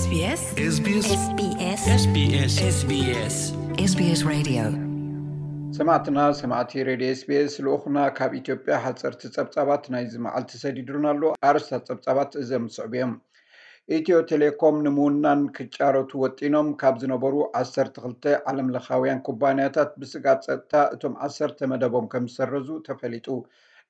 SBS SBS SBS SBS SBS Radio ሰማዕትና ሰማዕቲ ሬድዮ ኤስቢኤስ ልኡኽና ካብ ኢትዮጵያ ሓፀርቲ ፀብፃባት ናይዚ መዓልቲ ሰዲዱና ኣሎ። ኣርስታት ፀብፃባት እዘም ዝስዕቡ እዮም። ኢትዮ ቴሌኮም ንምውናን ክጫረቱ ወጢኖም ካብ ዝነበሩ ዓሰርተ ክልተ ዓለም ለኻውያን ኩባንያታት ብስግኣት ፀጥታ እቶም ዓሰርተ መደቦም ከም ዝሰረዙ ተፈሊጡ።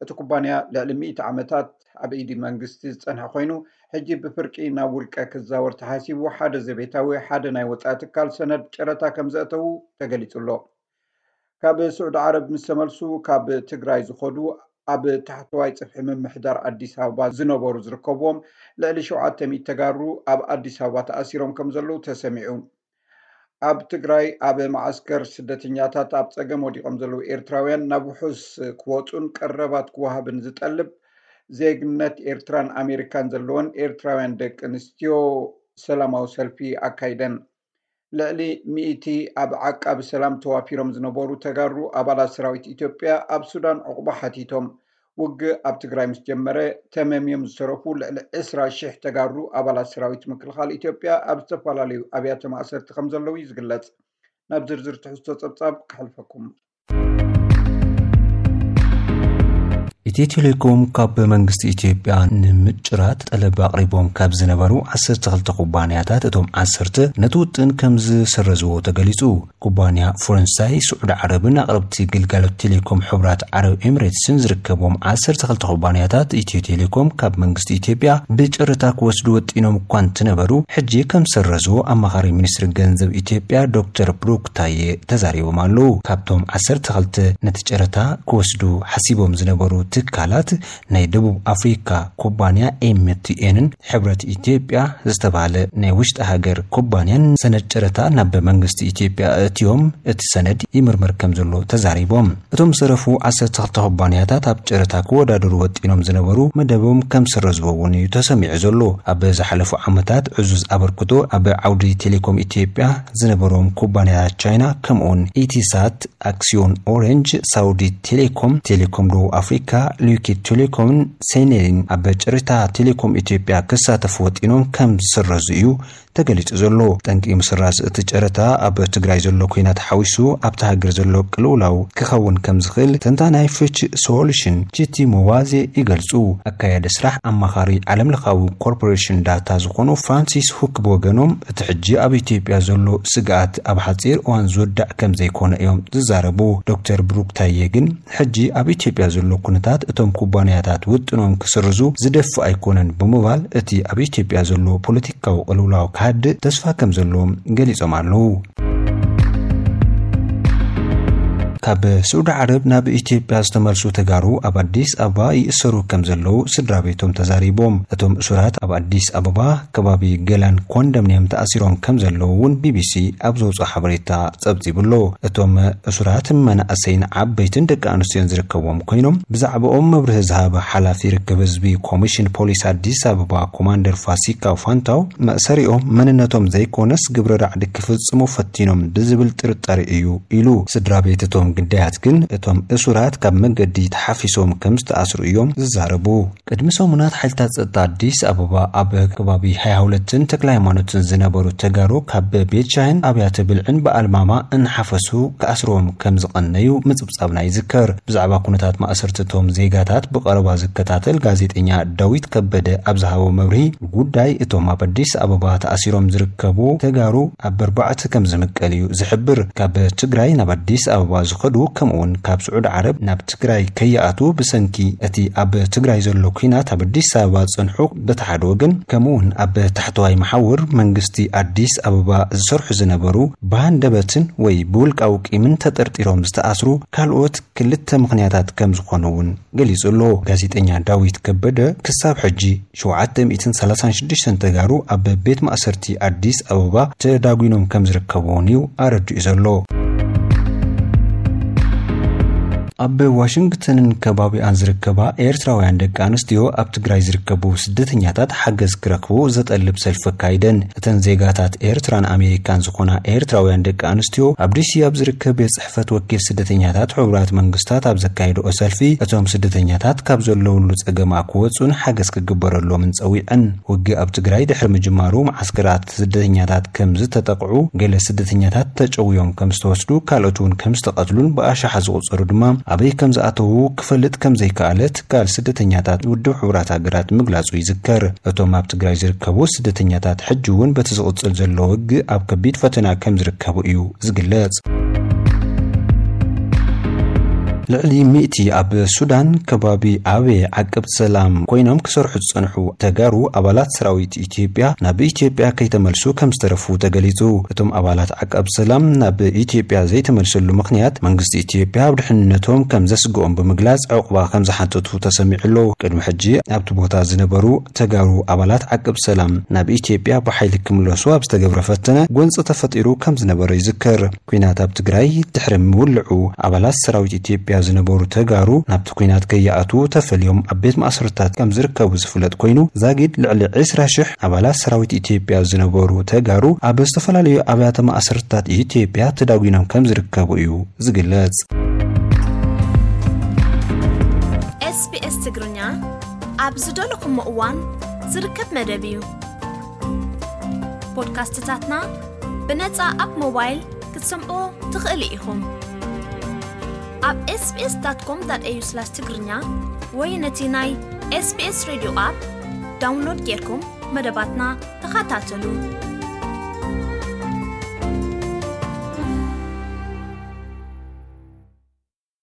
እቲ ኩባንያ ልዕሊ ሚእቲ ዓመታት ኣብ ኢዲ መንግስቲ ዝፀንሐ ኮይኑ ሕጂ ብፍርቂ ናብ ውልቀ ክዛወር ተሓሲቡ ሓደ ዘቤታዊ ሓደ ናይ ወፃኢ ትካል ሰነድ ጨረታ ከም ዘእተዉ ተገሊፁ ኣሎ። ካብ ስዑዲ ዓረብ ምስ ተመልሱ ካብ ትግራይ ዝኸዱ ኣብ ታሕተዋይ ፅፍሒ ምምሕዳር ኣዲስ ኣበባ ዝነበሩ ዝርከብዎም ልዕሊ ሸውዓተ ሚእቲ ተጋሩ ኣብ ኣዲስ ኣበባ ተኣሲሮም ከም ዘለዉ ተሰሚዑ። ኣብ ትግራይ ኣብ መዓስከር ስደተኛታት ኣብ ፀገም ወዲቖም ዘለዉ ኤርትራውያን ናብ ውሑስ ክወፁን ቀረባት ክወሃብን ዝጠልብ ዜግነት ኤርትራን ኣሜሪካን ዘለወን ኤርትራውያን ደቂ ኣንስትዮ ሰላማዊ ሰልፊ ኣካይደን። ልዕሊ ሚእቲ ኣብ ዓቃቢ ሰላም ተዋፊሮም ዝነበሩ ተጋሩ ኣባላት ሰራዊት ኢትዮጵያ ኣብ ሱዳን ዕቑባ ሓቲቶም። ውግእ ኣብ ትግራይ ምስ ጀመረ ተመምዮም ዝተረፉ ልዕሊ ዕስራ ሺሕ ተጋሩ ኣባላት ሰራዊት ምክልኻል ኢትዮጵያ ኣብ ዝተፈላለዩ ኣብያተ ማእሰርቲ ከም ዘለዉ እዩ ዝግለጽ። ናብ ዝርዝር ትሕዝቶ ጸብጻብ ክሕልፈኩም። ኢትዮ ቴሌኮም ካብ መንግስቲ ኢትዮጵያ ንምጭራት ጠለብ ኣቕሪቦም ካብ ዝነበሩ ዓሰርተ ክልተ ኩባንያታት እቶም ዓሰርተ ነቲ ውጥን ከም ዝሰረዝዎ ተገሊጹ። ኩባንያ ፈረንሳይ፣ ስዑዲ ዓረብን ኣቕረብቲ ግልጋሎት ቴሌኮም ሕቡራት ዓረብ ኤምሬትስን ዝርከቦም ዓሰርተ ክልተ ኩባንያታት ኢትዮ ቴሌኮም ካብ መንግስቲ ኢትዮጵያ ብጨረታ ክወስዱ ወጢኖም እኳ እንትነበሩ ሕጂ ከም ዝሰረዝዎ ኣማኻሪ ሚኒስትሪ ገንዘብ ኢትዮጵያ ዶክተር ብሩክ ታዬ ተዛሪቦም ኣለዉ። ካብቶም ዓሰርተ ክልተ ነቲ ጨረታ ክወስዱ ሓሲቦም ዝነበሩ ትካላት ናይ ደቡብ ኣፍሪካ ኩባንያ ኤምቲኤንን ሕብረት ኢትዮጵያ ዝተባህለ ናይ ውሽጢ ሃገር ኩባንያን ሰነድ ጨረታ ናብ መንግስቲ ኢትዮጵያ ኣእትዮም እቲ ሰነድ ይምርመር ከም ዘሎ ተዛሪቦም። እቶም ዝተረፉ ዓሰርተ ክልተ ኩባንያታት ኣብ ጨረታ ክወዳደሩ ወጢኖም ዝነበሩ መደቦም ከም ዝሰረዝዎ እውን እዩ ተሰሚዑ ዘሎ። ኣብ ዝሓለፉ ዓመታት ዕዙዝ ኣበርክቶ ኣብ ዓውዲ ቴሌኮም ኢትዮጵያ ዝነበሮም ኩባንያታት ቻይና ከምኡውን ኢቲሳት፣ ኣክሲዮን ኦሬንጅ፣ ሳውዲ ቴሌኮም፣ ቴሌኮም ደቡብ ኣፍሪካ፣ ሉኪ ቴሌኮምን ሴኔልን ኣብ ጨረታ ቴሌኮም ኢትዮጵያ ክሳተፉ ወጢኖም ከም ዝሰረዙ እዩ ተገሊጹ ዘሎ። ጠንቂ ምስራዝ እቲ ጨረታ ኣብ ትግራይ ዘሎ ኲናት ሓዊሱ ኣብቲ ሃገር ዘሎ ቅልውላው ክኸውን ከም ዝኽእል ተንታናይ ፍች ሶሉሽን ጂቲ ሞዋዜ ይገልጹ። ኣካያዲ ስራሕ ኣማኻሪ ዓለምለኻዊ ኮርፖሬሽን ዳታ ዝኾኑ ፍራንሲስ ሁክ ብወገኖም እቲ ሕጂ ኣብ ኢትዮጵያ ዘሎ ስግኣት ኣብ ሓጺር እዋን ዝወዳእ ከም ዘይኮነ እዮም ዝዛረቡ። ዶክተር ብሩክ ታዬ ግን ሕጂ ኣብ ኢትዮጵያ ዘሎ ኩነታት እቶም ኩባንያታት ውጥኖም ክስርዙ ዝደፍእ ኣይኮነን ብምባል እቲ ኣብ ኢትዮጵያ ዘሎ ፖለቲካዊ ቅልውላው ክሃድእ ተስፋ ከም ዘለዎም ገሊጾም ኣለዉ። ካብ ስዑዲ ዓረብ ናብ ኢትዮጵያ ዝተመልሱ ተጋሩ ኣብ ኣዲስ ኣበባ ይእሰሩ ከም ዘለዉ ስድራ ቤቶም ተዛሪቦም። እቶም እሱራት ኣብ ኣዲስ ኣበባ ከባቢ ገላን ኮንዶሚንየም ተኣሲሮም ከም ዘለዉ እውን ቢቢሲ ኣብ ዘውፅኦ ሓበሬታ ጸብጺቡ ኣሎ። እቶም እሱራት መናእሰይን ዓበይትን ደቂ ኣንስትዮን ዝርከብዎም ኮይኖም ብዛዕባኦም መብርሂ ዝሃበ ሓላፊ ርክብ ህዝቢ ኮሚሽን ፖሊስ ኣዲስ ኣበባ ኮማንደር ፋሲካ ፋንታው መእሰሪኦም መንነቶም ዘይኮነስ ግብረ ራዕዲ ክፍጽሙ ፈቲኖም ብዝብል ጥርጣሬ እዩ ኢሉ። ስድራ ቤት እቶም ግዳያት ግን እቶም እሱራት ካብ መገዲ ተሓፊሶም ከም ዝተኣስሩ እዮም ዝዛረቡ። ቅድሚ ሰሙናት ሓይልታት ጸጥታ ኣዲስ ኣበባ ኣብ ከባቢ ሃያ ሁለትን ተክለ ሃይማኖትን ዝነበሩ ተጋሩ ካብ ቤት ሻሂን ኣብያተ ብልዕን ብኣልማማ እናሓፈሱ ክኣስርዎም ከም ዝቐነዩ ምጽብጻብና ይዝከር። ብዛዕባ ኩነታት ማእሰርትቶም ዜጋታት ብቐረባ ዝከታተል ጋዜጠኛ ዳዊት ከበደ ኣብ ዝሃቦ መብርሂ፣ ጉዳይ እቶም ኣብ ኣዲስ ኣበባ ተኣሲሮም ዝርከቡ ተጋሩ ኣብ ኣርባዕተ ከም ዝምቀል እዩ ዝሕብር። ካብ ትግራይ ናብ ኣዲስ ኣበባ ዝኸዱ ከምኡውን ካብ ስዑዲ ዓረብ ናብ ትግራይ ከይኣትዉ ብሰንኪ እቲ ኣብ ትግራይ ዘሎ ኲናት ኣብ ኣዲስ ኣበባ ዝጸንሑ በቲ ሓደ ወገን ከምኡውን ኣብ ታሕተዋይ መሓውር መንግስቲ ኣዲስ ኣበባ ዝሰርሑ ዝነበሩ ብሃንደበትን ወይ ብውልቃዊ ቂምን ተጠርጢሮም ዝተኣስሩ ካልኦት ክልተ ምኽንያታት ከም ዝኾኑ እውን ገሊጹ ኣሎ። ጋዜጠኛ ዳዊት ከበደ ክሳብ ሕጂ ሸውዓተ ሚእትን ሰላሳን ሽዱሽተን ተጋሩ ኣብ ቤት ማእሰርቲ ኣዲስ ኣበባ ተዳጒኖም ከም ዝርከቡ እውን እዩ ኣረዲኡ ዘሎ። ኣብ ዋሽንግተንን ከባቢኣን ዝርከባ ኤርትራውያን ደቂ ኣንስትዮ ኣብ ትግራይ ዝርከቡ ስደተኛታት ሓገዝ ክረኽቡ ዘጠልብ ሰልፊ ኣካይደን። እተን ዜጋታት ኤርትራን ኣሜሪካን ዝኾና ኤርትራውያን ደቂ ኣንስትዮ ኣብ ዲሲ ኣብ ዝርከብ ቤት ጽሕፈት ወኪል ስደተኛታት ሕቡራት መንግስታት ኣብ ዘካየድኦ ሰልፊ፣ እቶም ስደተኛታት ካብ ዘለውሉ ጸገማ ክወጹን ሓገዝ ክግበረሎምን ጸዊዐን። ውግእ ኣብ ትግራይ ድሕሪ ምጅማሩ መዓስከራት ስደተኛታት ከም ዝተጠቕዑ፣ ገለ ስደተኛታት ተጨውዮም ከም ዝተወስዱ፣ ካልኦት እውን ከም ዝተቐትሉን ብኣሽሓት ዝቑጸሩ ድማ ኣበይ ከም ዝኣተዉ ክፈልጥ ከም ዘይከኣለ ትካል ስደተኛታት ውድብ ሕቡራት ሃገራት ምግላጹ ይዝከር። እቶም ኣብ ትግራይ ዝርከቡ ስደተኛታት ሕጂ እውን በቲ ዝቕጽል ዘሎ ውግእ ኣብ ከቢድ ፈተና ከም ዝርከቡ እዩ ዝግለጽ። ልዕሊ ሚእቲ ኣብ ሱዳን ከባቢ ኣቤ ዓቀብቲ ሰላም ኮይኖም ክሰርሑ ዝጸንሑ ተጋሩ ኣባላት ሰራዊት ኢትዮጵያ ናብ ኢትዮጵያ ከይተመልሱ ከም ዝተረፉ ተገሊጹ። እቶም ኣባላት ዓቃብ ሰላም ናብ ኢትዮጵያ ዘይተመልሰሉ ምኽንያት መንግስቲ ኢትዮጵያ ኣብ ድሕንነቶም ከም ዘስግኦም ብምግላጽ ዕቑባ ከም ዝሓተቱ ተሰሚዑ ኣሎ። ቅድሚ ሕጂ ኣብቲ ቦታ ዝነበሩ ተጋሩ ኣባላት ዓቃብ ሰላም ናብ ኢትዮጵያ ብሓይሊ ክምለሱ ኣብ ዝተገብረ ፈተነ ጎንፂ ተፈጢሩ ከም ዝነበረ ይዝከር። ኲናት ኣብ ትግራይ ድሕሪ ምውልዑ ኣባላት ሰራዊት ኢትዮጵያ ዝነበሩ ተጋሩ ናብቲ ኲናት ከይኣትዉ ተፈልዮም ኣብ ቤት ማእሰርታት ከም ዝርከቡ ዝፍለጥ ኮይኑ፣ ዛጊድ ልዕሊ ዕስራ ሽሕ ኣባላት ሰራዊት ኢትዮጵያ ዝነበሩ ተጋሩ ኣብ ዝተፈላለዩ ኣብያተ ማእሰርታት ኢትዮጵያ ተዳጒኖም ከም ዝርከቡ እዩ ዝግለጽ። ኤስቢኤስ ትግርኛ ኣብ ዝደለኹሞ እዋን ዝርከብ መደብ እዩ። ፖድካስትታትና ብነጻ ኣብ ሞባይል ክትሰምዑ ትኽእሉ ኢኹም። ኣብ ኤስቢኤስ ዳት ኮም ዳት ኤዩ ስላሽ ትግርኛ ወይ ነቲ ናይ ኤስቢኤስ ሬድዮ ኣፕ ዳውንሎድ ጌርኩም መደባትና ተኸታተሉ።